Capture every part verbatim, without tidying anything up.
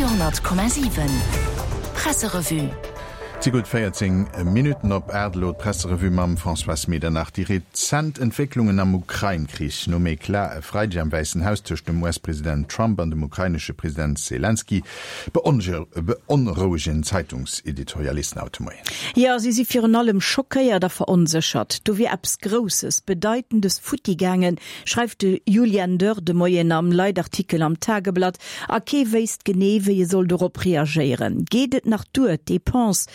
Radio hundert Komma siwen Presserevue. Et si gutt véierzéng Minutten op aacht, elo d'Presserevue mam Françoise Medernach. Déi rezent Entwécklungen am Ukrain-Krich, nom Eclat e Freideg am Wäissen Haus tëscht dem U S-President Trump an dem ukrainesche President Selenskyj, beonrouegen Zeitungseditorialisten haut de Moien. Jo, si si virun allem schockéiert a veronséchert. Do wier eppes Grousses, Bedeitendes futti gaangen, schreift de Julian Dörr de Moien am Leitartikel am Tageblatt, a kee wéisst genee, wéi e soll dorop reagéieren. Geet et nach duer, d'Depensë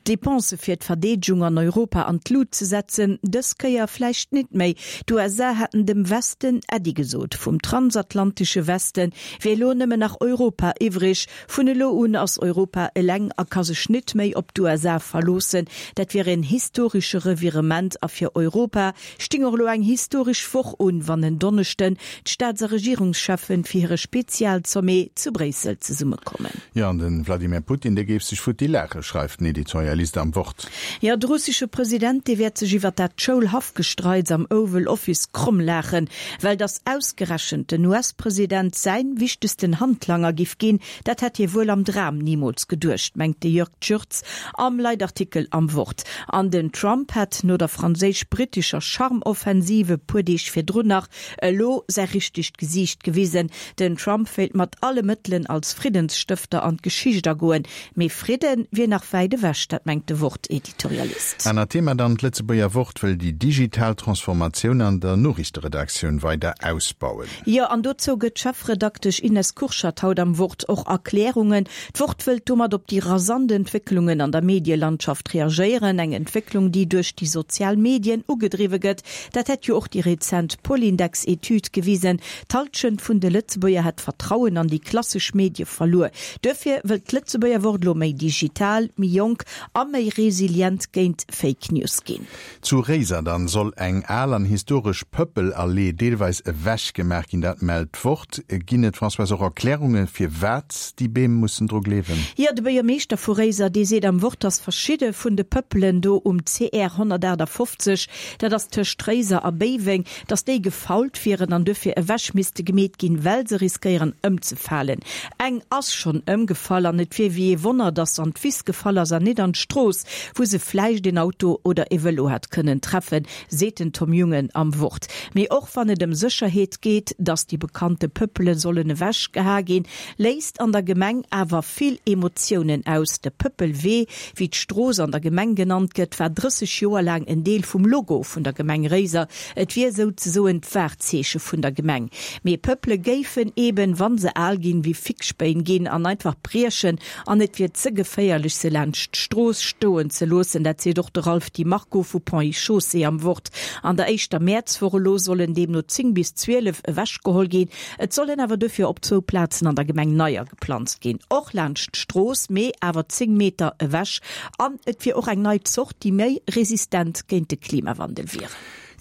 d'Depensë fir d'Verdeedegung an Europa an d'Lut ze setzen? Dës Kéier vläicht net méi. D'U S A hätten dem Westen Äddi gesot. Vum transatlantesche Weste wier elo nëmmen nach Europa iwwreg. Vun elo un ass Europa eleng a ka sech net méi op d'U S A verloossen. Dat wier en historesche Revirement a fir Europa sting och elo eng historesch Woch un, wann en Donneschden d'Staats a Regierungscheffen fir hire Spezialsommet zu Bréissel zesummekommen. Jo, an de Wladimir Putin, dee géif sech futti laachen, schreift den Editorialist am Wort. Jo, de russesche President, dee wäert sech iwwer dat Schoulhaffgestreits am Oval Office kromm laachen, well dass ausgerechent den U S-President säin wichtegsten Handlanger giff ginn, dat hätt hie wuel am Dram nimools geduecht, mengt de Jörg Tschürtz am Leitartikel am Wort. An den Trump hätt no der franséisch-brittescher Charmoffensive puer Deeg virdrun nach elo säi richtegt Gesiicht gewisen. Den Trump wéilt mat alle Mëttelen als Friddensstëfter an d'Geschicht agoen, mee Fridde wier nach wäit ewech, dat mengt de Wort-Editorialist. Anert Thema dann, D'Lëtzebuerger Wort wëll déi digital Transformatioun an der Noriichteredaktioun weider ausbauen. Jo, an dozou gëtt d'Chefredaktesch Ines Kurschat haut am Wort och Erklärungen. D'Wort wëllt domat op déi rasant Entwécklungen an der Medielandschaft reagéieren, eng Entwécklung, déi duerch déi sozial Medien ugedriwwe gëtt. Dat hätt jo och déi rezent Polindex-Etüd gewisen. D'Hallschent vun de Lëtzebuerger hätt d'Vertrauen an déi klassesch Medie verluer. Duerfir wëllt d'Lëtzebuerger Wort elo méi digital, méi jonk a méi resilient géint Fake News ginn. Zu Réiser dann soll eng al an historesch Pëppelallee deelweis ewechgemaach ginn, dat mellt d'Wort. Ginn et, Françoise, och Erklärunge firwat déi Beem mussen dru gleewen? Jo, de Buergermeeschter vu Réiser, dee seet am Wort, dass verschidde vun de Pëppelen do um C R honnertaachtafoffzeg, dat ass tëscht Réiser a Béiweng, dass déi gefault wieren an duerfir ewech misste gemeet ginn, well se riskéieren ëmzefalen. Eng ass schonn ëmgefall an et wier wéi ee Wonner, dass se an d'Wiss gefall ass an net an d'Strooss, wou se vläicht een Auto oder e Vëlo hätt kënnen treffen, seet den Tom Jungen am Wort. Mee och wann et ëm Sécherheet geet, dass déi bekannte Pëppele sollen ewechgeha ginn, léist an der Gemeng awer vill Emotiounen aus. De Pëppelwee, wéi d'Strooss an der Gemeng genannt gëtt, war drësseg Joer laang en Deel vum Logo vun der Gemeng Réiser. Et wier souzesoen d'Wahrzeeche vun der Gemeng. Mee Pëppele géifen eben, wa se al ginn, wéi Fixspéin ginn an einfach briechen an et wier ze geféierlech, se laanscht d'Strooss stoen ze loossen. Dat seet och de Ralph Di Marco vu Ponts et Chaussées am Wort. An der éischter Mäerzwoch elo sollen deemno zéng bis zwielef ewechgeholl ginn. Et sollen awer dofir op zwou Plazen an der Gemeng neier geplanzt ginn, och laanscht d'Strooss, mee awer zéng Meter ewech. An et wier och eng nei Zort, déi méi resistent géint de Klimawandel wier.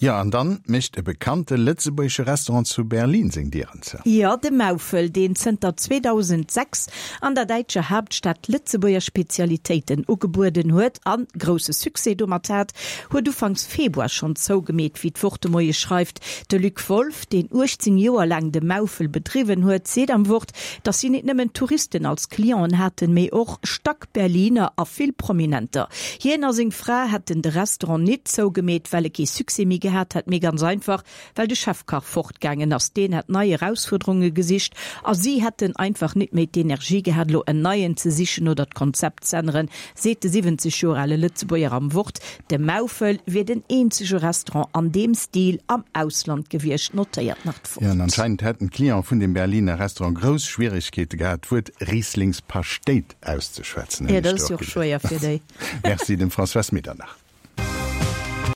Jo, an dann mécht e bekannte lëtzebuergesche Restaurant zu Berlin seng Dieren zou. Jo, de Maufel, deen zënter zweedausendsechs an der däitscher Haaptstad Lëtzebuerger Spezialitéiten ugebueden huet a grousse Succès domat hat, huet ufanks Februar schonn zougemeet, wéi d'Wort de Moie schreift. De Luc Wolff, deen uechtzéng Joer laang de Maufel bedriwwen huet, seet am Wort, datt si net nëmmen Touristen als Clienten haten, mee och Stack-Berliner a vill Prominenter. Hien a seng Fra hätten de Restaurant net zougemeet, well e kee Succès méi gehat hätt, mee ganz einfach, well de Chefkach fortgaangen ass. Deen hätt nei Erausfuerderunge gesicht a si hätten einfach net méi d'Energie gehat, elo en neien ze sichen oder d'Konzept z'änneren, seet de siwwenzeg Joer ale Lëtzebuerger am Wort. De Maufel wier den eenzege Restaurant an deem Stil am Ausland gewiescht, notéiert nach d'Wort. Jo, an anscheinend hätten d'Cliente vun dem Berliner Restaurant grouss Schwieregkeete gehat, d'Wuert Rieslingspaschtéit auszeschwätzen, Jo, dat ass jo och schwéier fir déi. Merci dem Françoise Medernach.